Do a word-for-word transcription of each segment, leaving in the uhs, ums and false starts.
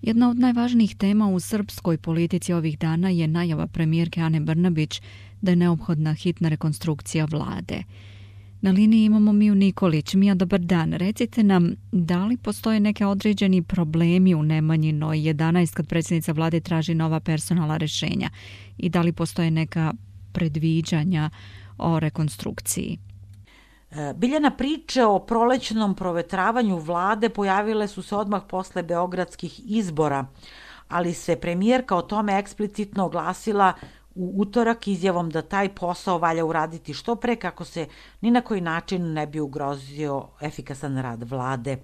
Jedna od najvažnijih tema u srpskoj politici ovih dana je najava premijerke Ane Brnabić da je neophodna hitna rekonstrukcija vlade. Na liniji imamo Miju Nikolić. Mija, dobar dan. Recite nam, da li postoje neke određeni problemi u Nemanjinoj jedanaest kad predsjednica vlade traži nova personalna rješenja i da li postoje neka predviđanja o rekonstrukciji? Biljana, priče o prolećnom provetravanju vlade pojavile su se odmah posle beogradskih izbora, ali se premijerka o tome eksplicitno oglasila u utorak izjavom da taj posao valja uraditi što pre kako se ni na koji način ne bi ugrozio efikasan rad vlade.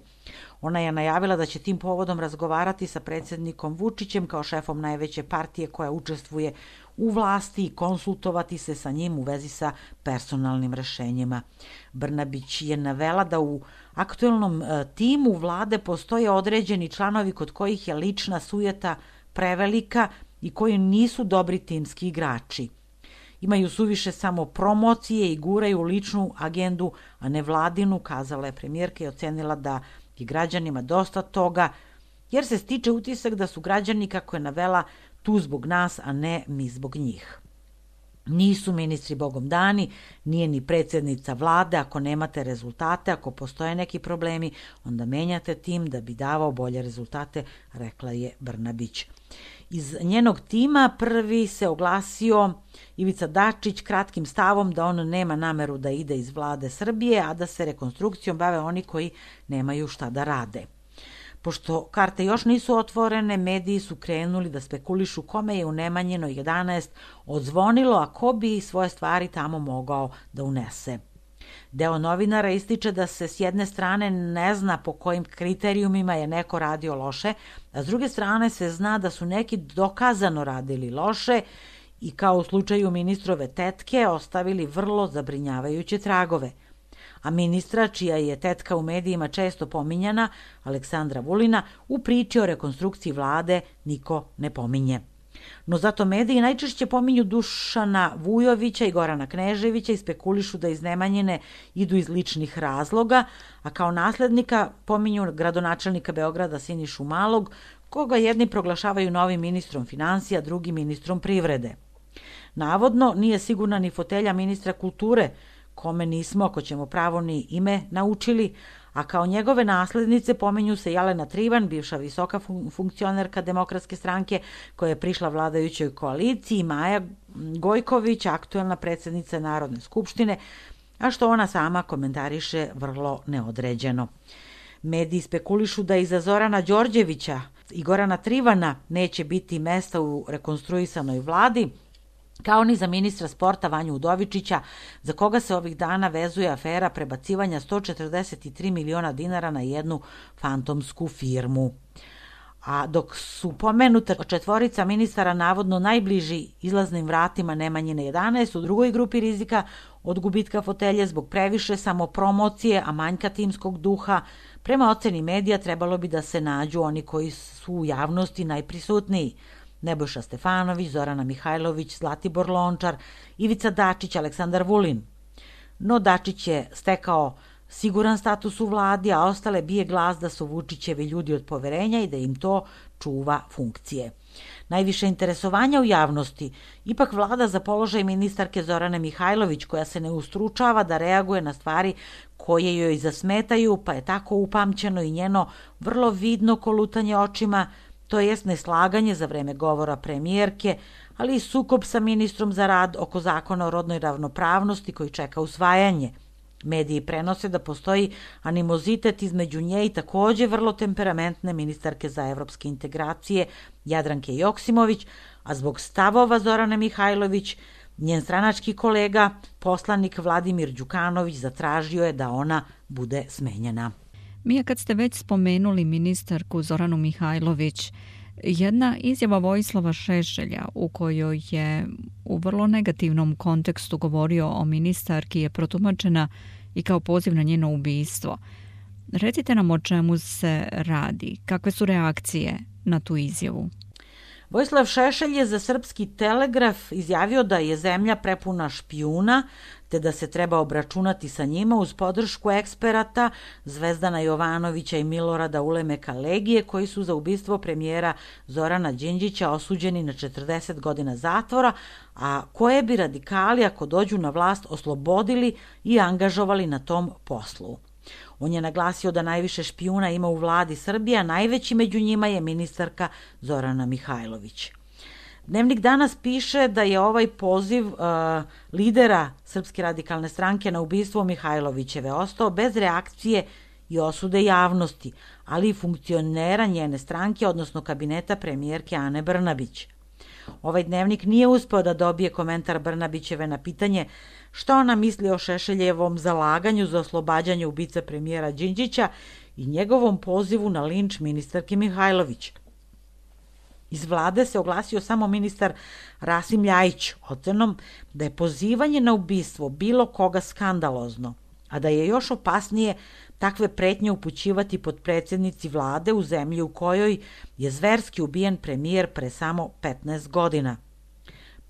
Ona je najavila da će tim povodom razgovarati sa predsjednikom Vučićem kao šefom najveće partije koja učestvuje u vlasti i konsultovati se sa njim u vezi sa personalnim rešenjima. Brnabić je navela da u aktuelnom timu vlade postoje određeni članovi kod kojih je lična sujeta prevelika i koji nisu dobri timski igrači. Imaju suviše samo promocije i guraju ličnu agendu, a ne vladinu, kazala je premijerka i ocenila da je građanima dosta toga, jer se stiče utisak da su građani, kako je navela, tu zbog nas, a ne mi zbog njih. Nisu ministri bogom dani, nije ni predsjednica vlade. Ako nemate rezultate, ako postoje neki problemi, onda menjate tim da bi davao bolje rezultate, rekla je Brnabić. Iz njenog tima prvi se oglasio Ivica Dačić kratkim stavom da on nema nameru da ide iz vlade Srbije, a da se rekonstrukcijom bave oni koji nemaju šta da rade. Pošto karte još nisu otvorene, mediji su krenuli da spekulišu kome je u Nemanjinoj jedanaest odzvonilo, a ko bi svoje stvari tamo mogao da unese. Deo novinara ističe da se s jedne strane ne zna po kojim kriterijumima je neko radio loše, a s druge strane se zna da su neki dokazano radili loše i kao u slučaju ministrove tetke ostavili vrlo zabrinjavajuće tragove. A ministra, čija je tetka u medijima često pominjana, Aleksandra Vulina, u priči o rekonstrukciji vlade niko ne pominje. No zato mediji najčešće pominju Dušana Vujovića i Gorana Kneževića i spekulišu da iz Nemanjine idu iz ličnih razloga, a kao naslednika pominju gradonačelnika Beograda Sinišu Malog, koga jedni proglašavaju novim ministrom financija, drugi ministrom privrede. Navodno nije sigurna ni fotelja ministra kulture, kome nismo, ako ćemo pravo, ni ime naučili, a kao njegove naslednice pominju se Jelena Trivan, bivša visoka funkcionerka Demokratske stranke koja je prišla vladajućoj koaliciji, i Maja Gojković, aktuelna predsjednica Narodne skupštine, a što ona sama komentariše vrlo neodređeno. Mediji spekulišu da iza Zorana Đorđevića i Gorana Trivana neće biti mesta u rekonstruisanoj vladi, kao ni za ministra sporta Vanju Udovičića, za koga se ovih dana vezuje afera prebacivanja sto četrdeset tri miliona dinara na jednu fantomsku firmu. A dok su pomenuta četvorica ministara navodno najbliži izlaznim vratima Nemanjine jedanaest, u drugoj grupi rizika od gubitka fotelje zbog previše samopromocije, a manjka timskog duha, prema oceni medija trebalo bi da se nađu oni koji su u javnosti najprisutniji. Nebojša Stefanović, Zorana Mihajlović, Zlatibor Lončar, Ivica Dačić, Aleksandar Vulin. No Dačić je stekao siguran status u vladi, a ostale bije glas da su Vučićevi ljudi od poverenja i da im to čuva funkcije. Najviše interesovanja u javnosti ipak vlada za položaj ministarke Zorane Mihajlović, koja se ne ustručava da reaguje na stvari koje joj zasmetaju, pa je tako upamćeno i njeno vrlo vidno kolutanje očima, to jest neslaganje za vreme govora premijerke, ali i sukob sa ministrom za rad oko zakona o rodnoj ravnopravnosti koji čeka usvajanje. Mediji prenose da postoji animozitet između nje i takođe vrlo temperamentne ministarke za evropske integracije Jadranke Joksimović, a zbog stavova Zorane Mihajlović, njen stranački kolega, poslanik Vladimir Đukanović, zatražio je da ona bude smenjena. Mija, kad ste već spomenuli ministarku Zoranu Mihajlović, jedna izjava Vojislava Šešelja u kojoj je u vrlo negativnom kontekstu govorio o ministarki je protumačena i kao poziv na njeno ubistvo. Recite nam o čemu se radi, kakve su reakcije na tu izjavu? Vojislav Šešelj je za Srpski telegraf izjavio da je zemlja prepuna špijuna, te da se treba obračunati sa njima uz podršku eksperata Zvezdana Jovanovića i Milorada Ulemeka Legije, koji su za ubistvo premijera Zorana Đinđića osuđeni na četrdeset godina zatvora, a koje bi radikali, ako dođu na vlast, oslobodili i angažovali na tom poslu. On je naglasio da najviše špijuna ima u vladi Srbije, a najveći među njima je ministarka Zorana Mihajlović. Dnevnik danas piše da je ovaj poziv uh, lidera Srpske radikalne stranke na ubistvo Mihajlovićeve ostao bez reakcije i osude javnosti, ali i funkcionera njene stranke, odnosno kabineta premijerke Ane Brnabić. Ovaj dnevnik nije uspeo da dobije komentar Brnabićeve na pitanje šta ona misli o Šešeljevom zalaganju za oslobađanje ubice premijera Đinđića i njegovom pozivu na linč ministarke Mihajlović. Iz vlade se oglasio samo ministar Rasim Ljajić ocenom da je pozivanje na ubistvo bilo koga skandalozno, a da je još opasnije takve pretnje upućivati potpredsjednici vlade u zemlji u kojoj je zverski ubijen premijer pre samo petnaest godina.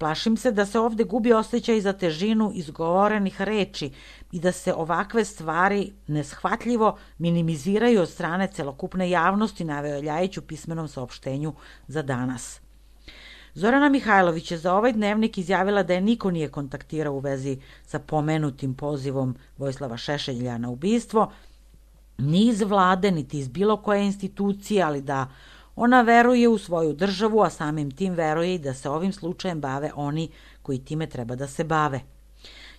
Plašim se da se ovde gubi osjećaj za težinu izgovorenih reči i da se ovakve stvari neshvatljivo minimiziraju od strane celokupne javnosti, naveo Ljajić u pismenom saopštenju za danas. Zorana Mihajlović je za ovaj dnevnik izjavila da je niko nije kontaktirao u vezi sa pomenutim pozivom Vojislava Šešelja na ubistvo, ni iz vlade, niti iz bilo koje institucije, ali da ona veruje u svoju državu, a samim tim veruje i da se ovim slučajem bave oni koji time treba da se bave.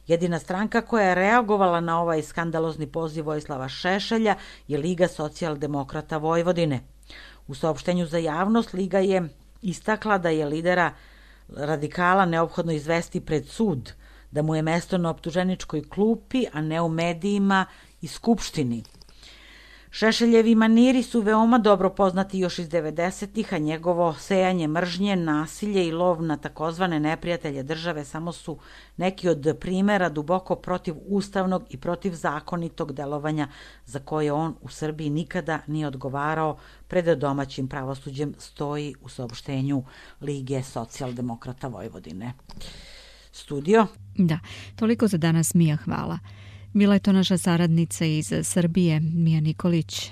Jedina stranka koja je reagovala na ovaj skandalozni poziv Vojislava Šešelja je Liga socijaldemokrata Vojvodine. U saopštenju za javnost Liga je istakla da je lidera radikala neophodno izvesti pred sud, da mu je mesto na optuženičkoj klupi, a ne u medijima i skupštini. Šešeljevi maniri su veoma dobro poznati još iz devedesetih, a njegovo sejanje mržnje, nasilje i lov na takozvane neprijatelje države samo su neki od primera duboko protiv ustavnog i protiv zakonitog delovanja za koje on u Srbiji nikada nije odgovarao, pred domaćim pravosuđem, stoji u saopštenju Lige socijaldemokrata Vojvodine. Studio? Da, toliko za danas, Mija, hvala. Bila je to naša saradnica iz Srbije, Mija Nikolić.